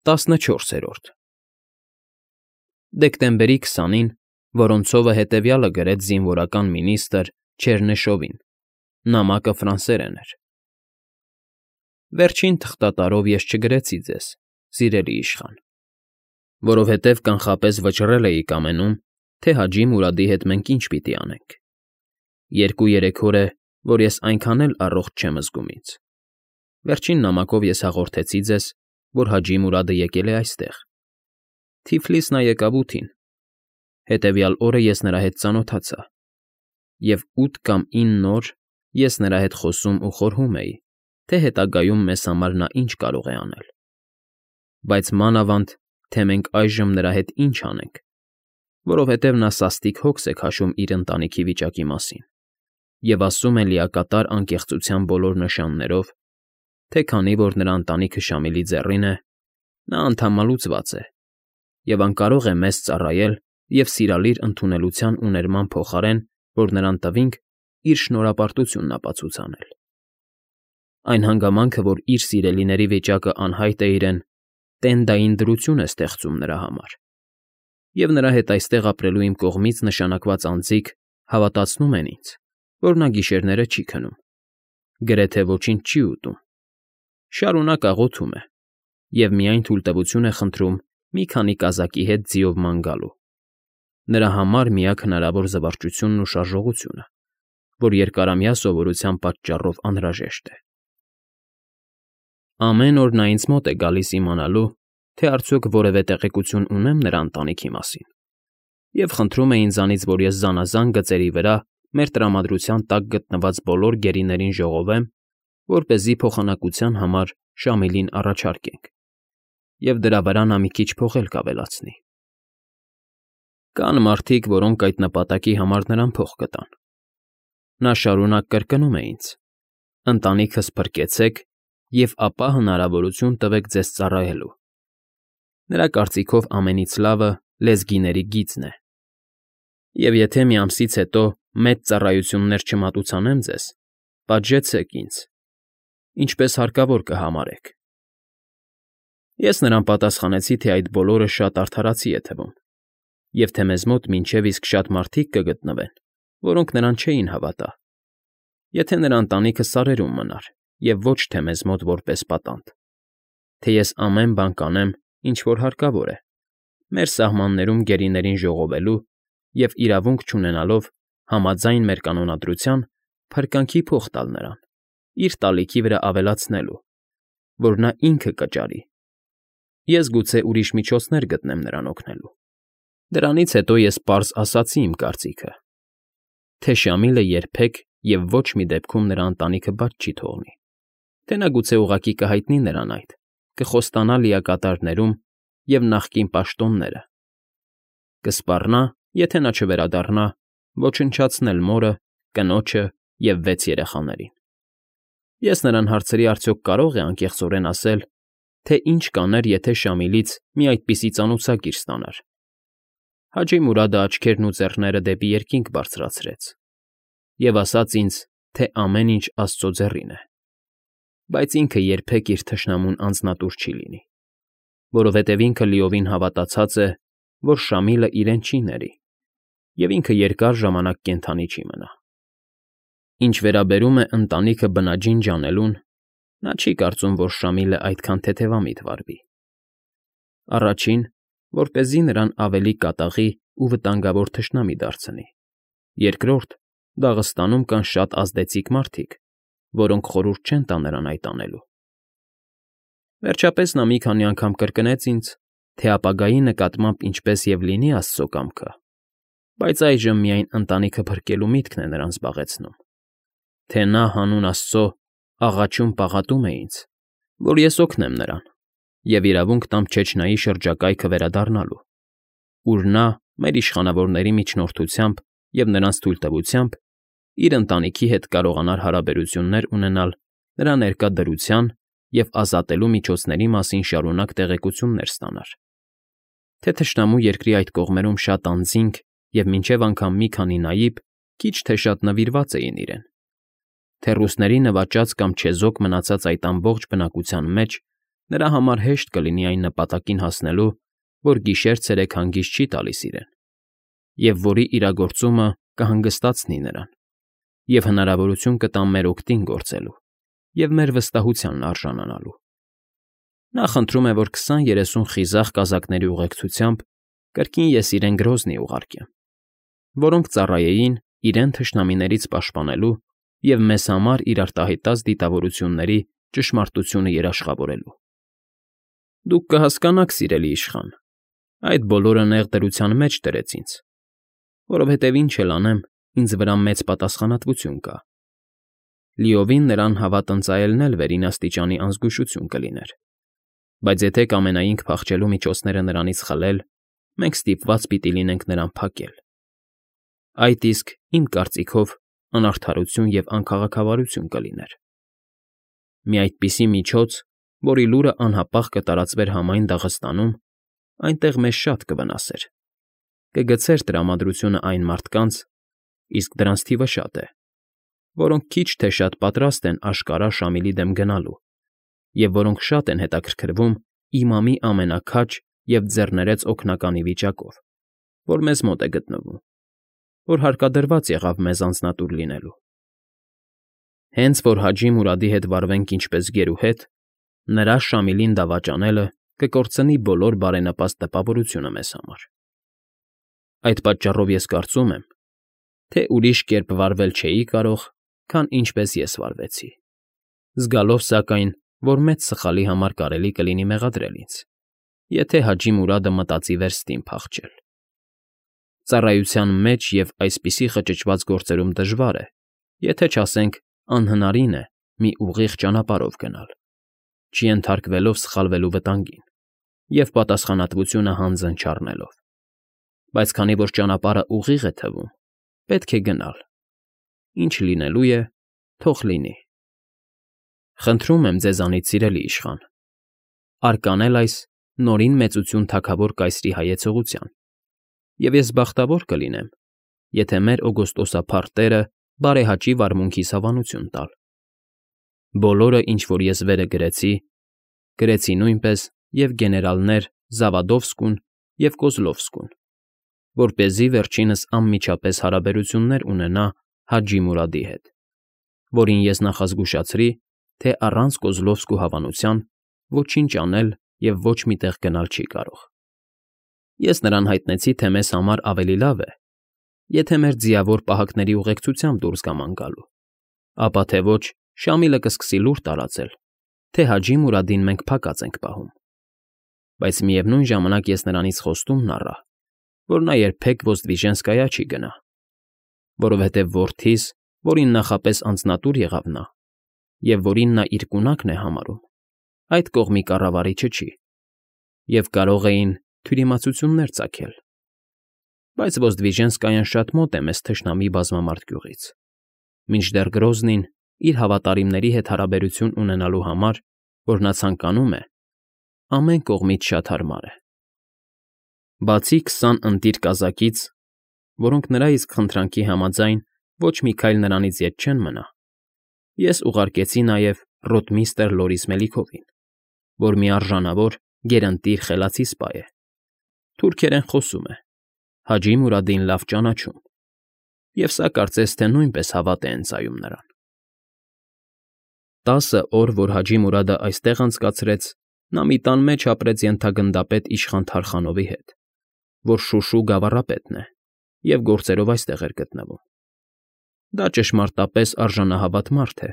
14-րդ Դեկտեմբերի 20-ին Որոնցովը հետևյալը գրեց զինվորական մինիստրը Չեռնեշովին, նամակը ֆրանսերեն էր. Վերջին թղթատարով ես չգրեցի ձեզ, սիրելի իշխան, որովհետև կանխապես վճռել էի կամենում, թե Հաջի Մուրադի հետ մենք ինչ պիտի անենք. 2-3 օր է, որ ես այնքան էլ առողջ չեմ զգում ինձ. Վերջին նամակով ես հաղորդեցի ձեզ, որ Հաջի Մուրադը եկել է այստեղ. Թիֆլիս նա եկավ 8-ին, հետևյալ օրը ես նրա հետ ծանոթացա, և 8 կամ 9 օր ես նրա հետ խոսում ու խորհում էի, թե հետագայում մեզ համար նա ինչ կարող է անել, բայց մանավանդ, թե մենք այժմ նրա հետ ինչ անենք, որովհետև նա սաստիկ հոգս է քաշում իր ընտանիքի վիճակի մասին և ասում է լիակատար անկեղծության բոլոր նշաններով, թե քանի որ նրա ընտանիքը Շամիլի ձեռին է, նա անդամալուծված է և անկարող է մեզ ծառայել և սիրալիր ընդունելության ու ներման փոխարեն, որ նրան տվինք, իր շնորհապարտությունն ապացուցանել։ Այն հանգամանքը, որ իր սիրելիների վիճակը անհայտ է իրեն, տենդային դրություն է ստեղծում նրա համար, և նրա հետ այստեղ ապրելու իմ կողմից նշանակված անձիկ հավատացնում են ինձ, որ նա գիշերները չի քնում, գրեթե ոչինչ չի ուտում, շարունակ աղոթում է և միայն թույլտվություն է խնդրում մի քանի կազակի հետ ձիով ման գալու, նրա համար միակ հնարավոր զվարճությունն ու շարժողությունը, որ երկարամյա սովորության պատճառով անհրաժեշտ է։ Ամեն օր նա ինձ մոտ է գալիս իմանալու, թե արդյոք որևէ տեղեկություն ունեմ նրա ընտանիքի մասին, և խնդրում է ինձանից, որ ես զանազան գծերի վրա մեր տրամադրության տակ գտնված բոլոր գերիներին ժողովեմ, որպեսզի փոխանակության համար Շամիլին առաջարկենք, և դրա վրա նա մի քիչ փող էլ կավելացնի։ Կան մարդիկ, որոնք այդ նպատակի համար նրան փող կտան։ Նա շարունակ կրկնում է ինձ. ընտանիքս փրկեցեք և ապա հնարավորություն տվեք ձեզ ծառայելու։ Նրա կարծիքով ամենից լավը լեզգիների գիծն է։ Եվ եթե մի ամսից հետո մեծ ծառայություններ չմատուցանեմ ձեզ, պատժեցեք ինձ, ինչպես հարկավոր կհամարեք։ Ես նրան պատասխանեցի, թե այդ բոլորը շատ արդարացի է թվում, և թե մեզ մոտ մինչև իսկ շատ մարդիկ կգտնվեն, որոնք նրան չէին հավատա, եթե նրա ընտանիքը սարերում մնար, և ոչ թե մեզ մոտ որպես պատանդ, թե ես ամեն բան կանեմ, ինչ որ հարկավոր է, մեր սահմաններում գերիներին ժողովելու և իրավունք չունենալով համաձայն մեր կանոնադրության փրկանքի փող տալ նրան, իր տալիքի վրա ավելացնելու, որ նա ինքը կճարի, ես գուցե ուրիշ միջոցներ գտնեմ նրան օգնելու։ Դրանից հետո ես պարզ ասացի իմ կարծիքը, թե Շամիլը երբեք և ոչ մի դեպքում նրա ընտանիքը բաց չի թողնի, թե նա գուցե ուղղակի կհայտնի նրան այդ, կխոստանա լիակատարներում և նախկին պաշտոնները, կսպառնա, եթե նա չվերադառնա, ոչնչացնել մորը, կնոջը և 6 երեխաներին։ Ես նրան հարցրի, արդյոք կարող է անկեղծորեն ասել, թե ինչ կաներ, եթե Շամիլից մի այդպիսի ծանոցագիր ստանար։ Հաջի Մուրադը աչքերն ու ձեռները դեպի երկինք բարձրացրեց և ասաց ինձ, թե ամեն ինչ Աստծո ձեռին է, բայց ինքը երբեք իր թշնամուն անձնատուր չի լինի, որովհետև ինքը լիովին հավատացած է, որ Շամիլը իրեն չի ների, և ինքը երկար ժամանակ կենդանի չի մնա։ Ինչ վերաբերում է ընտանիքը բնաջինջ անելուն, նա չի կարծում, որ Շամիլը այդքան թեթևամիտ վարվի։ Առաջին, որպեսզի նրան ավելի կատաղի ու վտանգավոր թշնամի դարձնի։ Երկրորդ, Դաղստանում կան շատ ազդեցիկ մարդիկ, որոնք խորհուրդ չեն տա նրան այդ անելու։ Վերջապես նա մի քանի անգամ կրկնեց ինձ, թե ապագայի նկատմամբ ինչպես և լինի Աստծո կամքը, բայց այժմ միայն ընտանիքը փրկելու միտքն է նրան զբաղեցնում, թե նա հանուն Աստծո աղաչում֊պաղատում է ինձ, որ ես օգնեմ նրան և իրավունք տամ Չեչնայի շրջակայքը վերադառնալու, ուր նա մեր իշխանավորների միջնորդությամբ և նրանց թույլտվությամբ իր ընտանիքի հետ կարողանար հարաբերություններ ունենալ նրա ներկա դրության և ազատելու միջոցների մասին շարունակ տեղեկություններ ստանար, թե թշնամու երկրի այդ կողմերում շատ անձինք և մինչև անգամ մի քանի նաիբ քիչ թե շատ նվիրված էին իրեն, թե ռուսների նվաճած կամ չեզոք մնացած այդ ամբողջ բնակության մեջ նրա համար հեշտ կլինի այն նպատակին հասնելու, որ գիշեր֊ցերեկ հանգիստ չի տալիս իրեն, և որի իրագործումը կհանգստացնի նրան, և հնարավորություն կտա մեր օգտին գործելու և մեր վստահությանն արժանանալու։ Նա խնդրում է, որ 20-30 խիզախ կազակների ուղեկցությամբ կրկին ես իրեն Գրոզնի ուղարկեմ, որոնք ծառայեին իրեն թշնամիներից պաշտպանելու և մեզ համար իր արտահայտած դիտավորությունների ճշմարտությունը երաշխավորելու։ Դուք կհասկանաք, սիրելի իշխան, այդ բոլորը նեղ դրության մեջ դրեց ինձ, որովհետև ինչ էլ անեմ, ինձ վրա մեծ պատասխանատվություն կա։ Լիովին նրան հավատնծայելն էլ վերին աստիճանի անզգուշություն կլիներ, բայց եթե կամենայինք փախչելու միջոցները նրանից խլել, մենք ստիպված պիտի լինենք նրան փակել։ Այդ իսկ, իմ կարծիքով, անարդարություն և անքաղաքավարություն կլիներ։ Մի այդպիսի միջոց, որի լուրը անհապաղ կտարածվեր համայն Դաղստանում, այնտեղ մեզ շատ կվնասեր, կգցեր տրամադրությունը այն մարդկանց, իսկ դրանց թիվը շատ է, որոնք քիչ թե շատ պատրաստ են աշկարա Շամիլի դեմ գնալու և որոնք շատ են հետաքրքրվում իմամի ամենաքաջ և ձեռներեց օգնականի վիճակով, որ մեզ մոտ է գտնվում, որ հարկադրված եղավ մեզ անձնատուր լինելու։ Հենց որ Հաջի Մուրադի հետ վարվենք ինչպես գերուհետ, նրա Շամիլին դավաճանելը կկորցնի բոլոր բարենպաստ տպավորությունը մեզ համար։ Այդ պատճառով ես կարծում եմ, թե ուրիշ կերպ վարվել չէի կարող, քան ինչպես ես վարվեցի, զգալով, սակայն, որ մեծ սխալի համար կարելի կլինի մեղադրել ինձ, եթե Հաջի Մուրադը մտածի վերստին փախչել։ Ծառայության մեջ և այսպիսի խճճված գործերում դժվար է, եթե չասենք անհնարին է մի ուղիղ ճանապարհով գնալ, չենթարկվելով սխալվելու վտանգին և պատասխանատվությունը հանձն չառնելով։ Բայց քանի որ ճանապարհը ուղիղ է թվում, պետք է գնալ։ Ինչ լինելու է, թող լինի։ Խնդրում եմ ձեզանից, սիրելի իշխան, արկանել այս նորին մեծություն թագավոր կայսրի հայեցողության, և ես բախտավոր կլինեմ, եթե մեր օգոստոսափառ տերը բարեհաճի վարմունքիս հավանություն տալ։ Բոլորը, ինչ որ ես վերը գրեցի, գրեցի նույնպես և գեներալներ Զավադովսկուն և Կոզլովսկուն, որպեսզի վերջինս անմիջապես հարաբերություններ ունենա Հաջի Մուրադի հետ, որին ես նախազգուշացրի, թե առանց Կոզլովսկու հավանության ոչինչ անել և ոչ մի տեղ գնալ չի կարող։ Ես նրան հայտնեցի, թե մեզ համար ավելի լավ է, եթե մեր ձիավոր պահակների ուղեկցությամբ դուրս գաման գալու, ապա թե ոչ Շամիլը կսկսի լուր տարածել, թե Հաջի Մուրադին մենք փակած ենք պահում։ Բայց միևնույն ժամանակ ես նրանից խոստումն առա, որ նա երբեք Ոզդվիժենսկայա չի գնա, որովհետև որդիս, որին նախապես անձնատուր եղավ նա, և որին նա իր կունակն է համարում, այդ կողմի կառավարիչը չի, և կարող էին թյուրիմացություններ ծագել։ Բայց Ոզդվիժենսկայան շատ մոտ է մեզ թշնամի բազմամարդ գյուղից, մինչդեռ Գրոզնին իր հավատարիմների հետ հարաբերություն ունենալու համար, որ նա ցանկանում է, ամեն կողմից շատ հարմար է։ Բացի 20 ընտիր կազակից, որոնք նրա իսկ խնդրանքի համաձայն ոչ մի քայլ նրանից ետ չեն մնա, ես ուղարկեցի նաև ռոտմիստր Լորիս Մելիքովին, որ մի արժանավոր, գերընտիր խելացի սպա է, թուրքերեն խոսում է, Հաջի Մուրադին լավ ճանաչում, և սա կարծես թե նույնպես հավատ է ընծայում նրան։ 10 օր, որ Հաջի Մուրադը այստեղ անցկացրեց, նա մի տան մեջ ապրեց ենթագնդապետ իշխան Թարխանովի հետ, որ Շուշու գավառապետն է և գործերով այստեղ էր գտնվում։ Դա ճշմարտապես արժանահավատ մարդ է,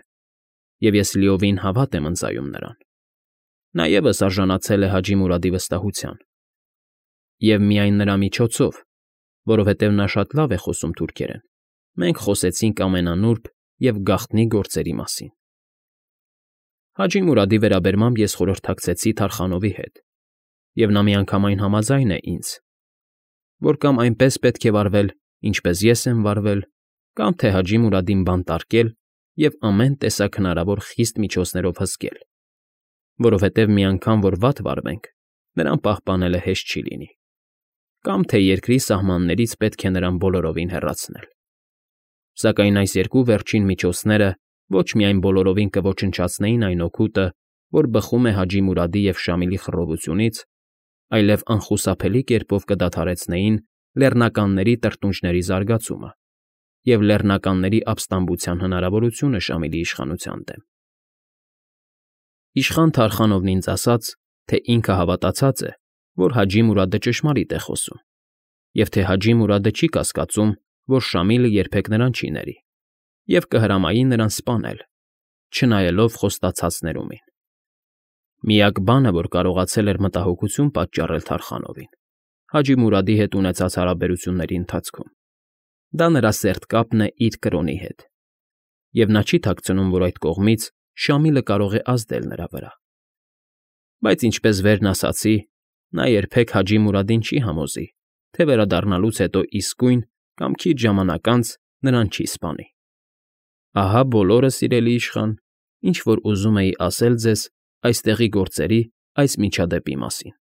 և ես լիովին հավատ եմ ընծայում նրան։ Նա ևս արժանացել է Հաջի Մուրադի վստահության։ Եվ միայն նրա միջոցով, որովհետև նա շատ լավ է խոսում թուրքերեն, մենք խոսեցինք ամենանուրբ և գաղտնի գործերի մասին։ Հաջի Մուրադի վերաբերմամբ ես խորհրդակցեցի Թարխանովի հետ, և նա միանգամայն համաձայն է ինձ, որ կամ այնպես պետք է վարվել, ինչպես ես եմ վարվել, կամ թե Հաջի Մուրադին բանտարկել և ամեն տեսակ հնարավոր խիստ միջոցներով հսկել, որովհետև մի անգամ որ վատ վարվենք, նրան պահպանելը հեշտ չի լինի, կամ թե երկրի սահմաններից պետք է նրան բոլորովին հեռացնել։ Սակայն այս երկու վերջին միջոցները ոչ միայն բոլորովին կոչնչացնեին այն օգուտը, որ բխում է Հաջի Մուրադի և Շամիլի խռովությունից, այլև անխուսափելի կերպով կդադարեցնեին լեռնականների տրտունջների զարգացումը և լեռնականների ապստամբության հնարավորությունը Շամիլի իշխանության դեմ։ Իշխան Թարխանովն ինձ ասաց, թե ինքը հավատացած է, որ Հաջի Մուրադը ճշմարիտ է խոսում, և թե Հաջի Մուրադը չի կասկածում, որ Շամիլը երբեք նրան չի ների, և կհրամայի նրան սպանել, չնայելով խոստացածներումին։ Միակ բանը, որ կարողացել էր մտահոգություն պատճառել Թարխանովին Հաջի Մուրադի հետ ունեցած հարաբերությունների ընթացքում, դա նրա սերտ կապն է իր կրոնի հետ, և նա չի թաքցնում, որ այդ կողմից Շամիլը կարող է ազդել նրա վրա։ Բայց ինչպես վերն ասացի, նա երբեք Հաջի Մուրադին չի համոզի, թե վերադառնալուց հետո իսկույն կամ քիչ ժամանակ անց նրան չի սպանի։ Ահա բոլորը, սիրելի իշխան, ինչ որ ուզում էի ասել ձեզ այստեղի գործերի այս միջադեպի մասին։